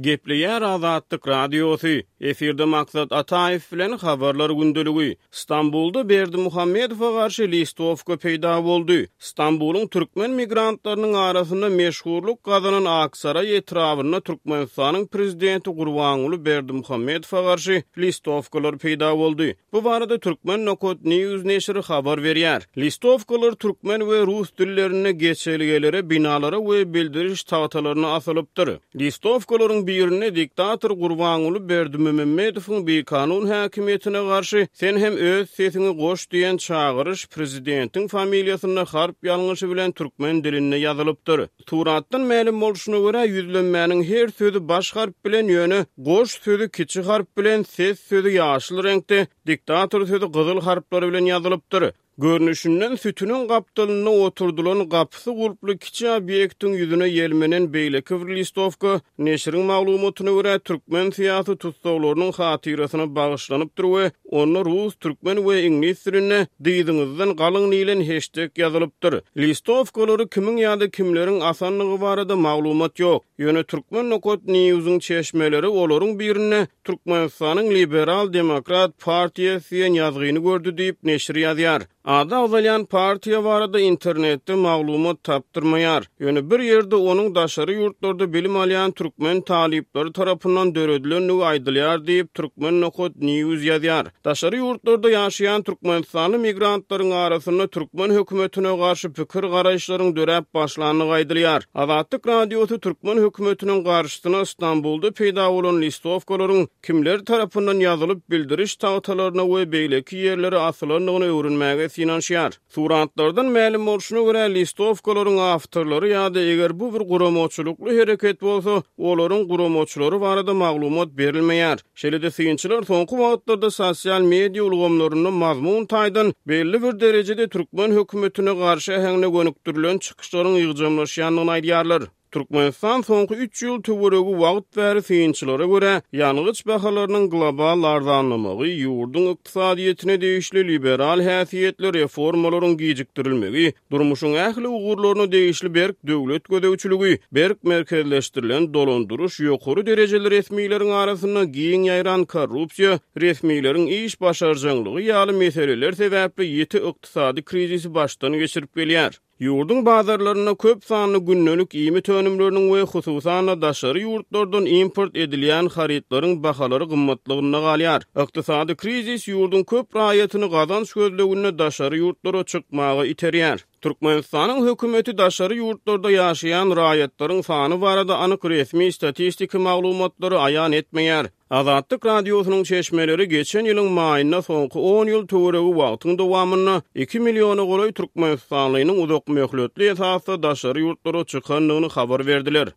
Gepleýär Azatlyk Radiosy, efirde Maksat Ataýew bilen Habarlar gündeligi. Stambulda Berdimuhamedowa garşy listowka peýda boldy. Stambulyň türkmen migrantlarynyň arasynda meşhurlyk gazanan Aksaraý etrabynda Türkmenistanyň prezidenti Gurbanguly Berdimuhamedowa garşy listowkalar peýda boldy. Bu barada Turkmen Nokat News neşiri habar berýär. Listowkalar türkmen we rus dillerinde geçelgelere, binalara we bildiriş tagtalaryna asylypdyr. Listowkalaryň birinde diktator Gurbanguly Berdimumemmedowyň bikanun häkimiýetine garşy sen hem öz sesiňi goş diýen çagyryş prezidentiň familiýasynda harp ýalňyşy bilen türkmen dilinde ýazylypdyr. Suratdan mälim bolşuna görä, ýüzlenmäniň her sözi baş harp bilen, ýöne goş sözi kiçi harp bilen, ses sözi ýaşyl reňkde, diktator sözi gyzyl harplar bilen ýazylypdyr. Görnüşinden, sütüniň gapdalynda oturdylan gapysy gulply kiçi obýektiň ýüzüne ýelmenen beýleki bir listowka, neşiriň maglumatyna görä, türkmen syýasy tussaglarynyň hatyrasyna bagyşlanypdyr we Onda rus, türkmen we iňlis dilinde Dyzyňyzdan galyň diýlen heşdek ýazylypdyr. Listowkalary kimiň ýa-da kimleriň asandygy barada maglumat ýok. Ýöne Turkmen Nokat News-yň çeşmeleri olaryň birinde Türkmenistanyň Liberal Demokrat partiýasy diýen ýazgyny gördi diýip, neşir ýazýar. Ady agzalýan partiýa barada internetde maglumat tapdyrmaýar. Ýöne bir ýerde onuň daşary ýurtlarda bilim alýan türkmen talyplary tarapyndan döredilendigi aýdylýar diýip, Turkmen Nokat News ýazýar. Daşary ýurtlarda ýaşaýan türkmenistanly migrantlaryň arasynda türkmen hökümetine garşy pikir-garaýyşlaryň döräp başlandygy aýdylýar. Azatlyk Radiosy türkmen hökümetiniň garşysyna Stambulda peýda bolan listowkalaryň kimler tarapyndan ýazylyp, bildiriş tagtalaryna we beýleki ýerlere asylandygyny öwrenmäge synanyşýar. Suratlardan mälim bolşuna görä, listowkalaryň awtorlary ýa-da eger bu bir guramaçylykly hereket bolsa, olaryň guramaçylary barada maglumat berilmeýär. Şeýle-de synçylar soňky wagtlarda sosial media ulgamlarynda mazmun taýdan belli bir derejede türkmen hökümetine garşy äheňde gönükdirilen çykyşlaryň ýygjamlaşýandygyny aýdýarlar. Türkmenistan soňky üç ýyl töweregi wagt bäri synçylara görä, ýangyç bahalarynyň global arzanlamagy, ýurduň ykdysadyýetine degişli liberal häsiýetli reformalaryň gijikdirilmegi, durmuşyň ähli ugurlaryna degişli berk döwlet gözegçiligi, berk merkezleşdirilen dolandyryş, ýokary derejeli resmileriň arasynda giň ýaýran korrupsiýa, resmileriň iş başarjaňlygy ýaly meseleler sebäpli ýiti ykdysady krizisi başdan geçirip gelýär. Ýurduň bazarlarynda köp sanly gündelik iýmit önümleriniň we hususan-da daşary ýurtlardan import edilýän harytlaryň bahalary gymmatlygynda galýar. Ykdysady krizis ýurduň köp raýatyny gazanç gözleginde daşary ýurtlara çykmaga iterýär. Türkmenistanyň hökümeti daşary ýurtlarda ýaşaýan raýatlaryň sany barada anyk resmi statistiki maglumatlary aýan etmeýär. Azatlyk Radiosynyň çeşmeleri geçen ýylyň maýynda soňky on ýyl töweregi wagtyň dowamynda iki milliona golaý türkmenistanlynyň uzakmöhletli esasda daşary ýurtlara çykandygyny habar berdiler.